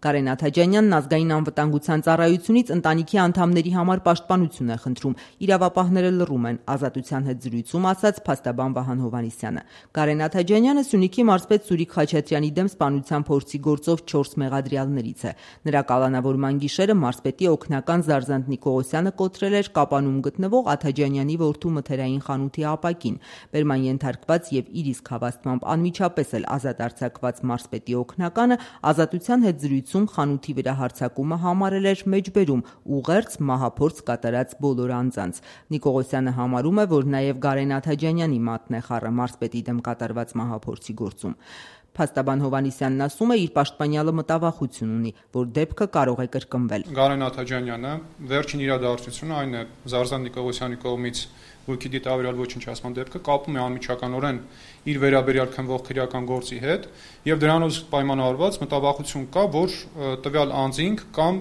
Կարեն Աթաջանյանն ազգային անվտանգության ծառայությունից ընտանիքի անդամների համար պաշտպանություն է խնդրում, իրավապահները լռում են, Ազատության հետ զրույցում ասաց փաստաբան Վահան Հովհաննիսյանը։ Կարեն Աթաջանյանը Սյունիքի մարզպետ Սուրիկ Խաչատրյանի դեմ սպանության փորձի գործով 4 մեղադրյալներից է։ Նրա կալանավորման գիշերը մարզպետի օգնական Զարզանտ Նիկողոսյանը կոտրել էր Կապանում գտնվող Աթաջանյանի որդու մթերային խանութի ապակին։ Բերման ենթարկված եւ իր իսկ հավաստմամբ անմիջապես էլ ազատ արձակված մարզպետի օգնականը Ազատության հետ զրույցում խանութի վրա հարձակումը համարել էր մեջբերում ուղերձ մահափորձ կատարած բոլոր անձանց։ Նիկողոսյանը համարում է, որ նաև Կարեն Աթաջանյանի մատն է խառը մարզպետի դեմ կատարված մահափորձի գործում։ Փաստաբան Հովհաննիսյանն ասում է, իր պաշտպանյալը մտավախություն ունի, որ դեպքը կարող է կրկնվել։ Կարեն Աթաջանյանը վերջին իրադարձությունը այն է Զարզանտ Նիկողոսյանի կողմից ոգի դիտավորյալ ոչնչացման դեպքը կապում է անմիջականորեն իր վերաբերյալ քննվող քրեական գործի հետ եւ դրանով պայմանավորված մտավախություն կա, որ տվյալ անձինք կամ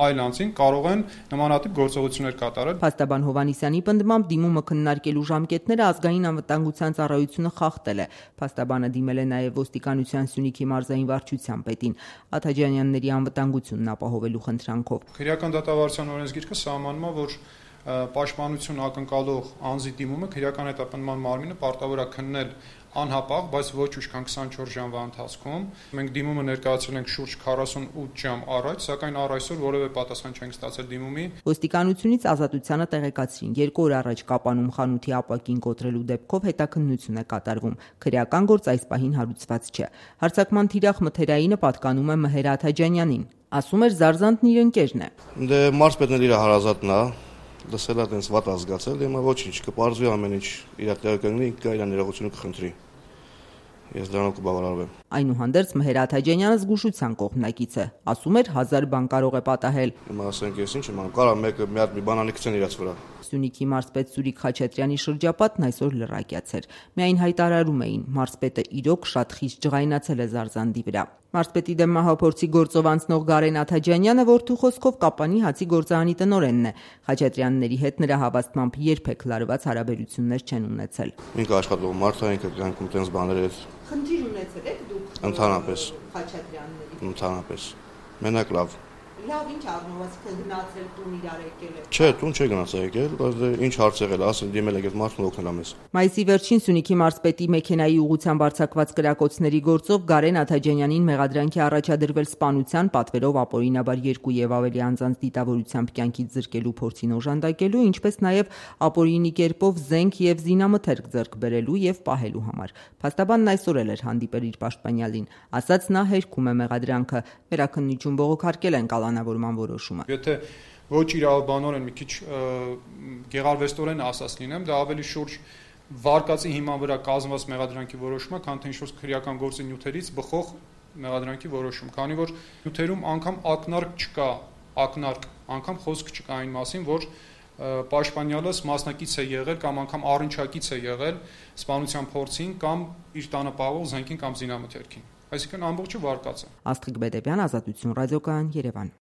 այլ անձինք կարող են նմանատիպ գործողություններ կատարել։ Փաստաբան Հովհաննիսյանի պնդմամբ դիմումը քննարկելու ժամկետները ազգային անվտանգության ծառայությունը խախտել է։ Փաստաբանը դիմել է նաեւ ոստիկանության Սյունիքի մարզային վարչության պետին Աթաջանյանների անվտանգությունն ապահովելու խնդրանքով։ Քրեական դատավարության օրենսգիրքը սահմանում է, որ պաշտպանություն ակնկալող անձի դիմումը քրեական հետապնդման մարմինը պարտավոր է քննել անհապաղ, բայց ոչ ուշ քան 24 ժամվա ընթացքում։ Մենք դիմումը ներկայացրել ենք շուրջ 48 ժամ առաջ, սակայն առ այսօր որևէ պատասխան չենք ստացել դիմումի։ Ոստիկանությունից Ազատությանը տեղեկացրին, 2 օր առաջ Կապանում խանութի ապակին կոտրելու դեպքով հետաքննություն է կատարվում։ Քրեական գործ այս պահին հարուցված չէ։ Հարձակման թիրախ մթերայինը պատկանում է Մհեր Աթաջանյանին։ Ասում էր Զարզանտն իր ընկերն է։ Դե մարզպետն իր հարազատն է, լսել է տենց վատ ազգացել, հիմա ոչինչ, կպարզվի ամեն ինչ իր տեղը կգնի, իր ներողությունը կխնդրի։ Ես դրանով կբավարարվեմ։ Այնուհանդերձ Մհեր Աթաջանյանը զգուշության կողմնակից է, ասում էր 1000 բան կարող է պատահել։ Հիմա ասենք ես ինչ եմ անում, կարա մեկը մի հատ մի բանանի գցեն իրաց վրա։ Սյունիքի մարզպետ Սուրիկ Խաչատրյանի շրջապատն այսօր լրակյաց էր։ Միայն հայտարարում էին, մարզպետը իրոք շատ խիստ ջղայնացել է Զարզանդի վրա։ Մարզպետի դեմ մահափորձի գործով անցնող Կարեն Աթաջանյանը որդու խոսքով Կապանի հացի գործարանի տնօրենն է։ Խաչատրյանների հետ նրա հավաստմամբ երբեք լարված հարաբերություններ չեն ունեցել։ Ինքը աշխատող մարդ է, ինքը կյանքում տենց բաներ է։ Խնդիր ունեցել եք դուք ընդհանրապես Խաչատրյանների։ Ընդհանրապես։ Մենակ լավ։ Լավ, ինչ առնվազն գնացել տուն իրար եկել եք։ Չէ, տուն չէ գնացել եկել, բայց ինչ հարց եղել, ասել դիմել եք այդ մարդուն օգնել ամես։ Մայիսի վերջին Սյունիքի մարզպետի մեքենայի ուղղությամբ արձակված կրակոցների գործով Կարեն Աթաջանյանին մեղադրանքի առաջադրվել սպանության, պատվերով ապօրինաբար 2 եւ ավելի անձանց դիտավորությամբ կյանքից զրկելու փորձին օժանդակելու, ինչպես նաեւ ապօրինի կերպով զենք եւ զինամթերք ձեռք բերելու եւ պահելու համար։ Փաստաբանն այսօր էլ էր հանդիպել իր պաշտպանյալին, ասաց նա հերքում է մեղադրանքը, վերաքննություն բողոքարկել են կալանավորման որոշումը։ Եթե ոչ իրավաբանորեն մի քիչ գեղարվեստորեն ասած լինեմ, դա ավելի շուրջ վարկածի հիման վրա կազմված մեղադրանքի որոշումը, քան թե ինչ-որ քրեական գործի նյութերից բխող մեղադրանքի որոշում, քանի որ նյութերում անգամ ակնարկ չկա, անգամ խոսք չկա այն մասին, որ պաշտպանյալս մասնակից է եղել կամ անգամ առնչակից է եղել սպանության փորձին կամ իր տանը պահող զենքին կամ զինամթերքին։ Այսինքն ամբողջը վարկած է։ Աստղիկ Բեդեբյան, Ազատություն ռադիոկայան, Երևան։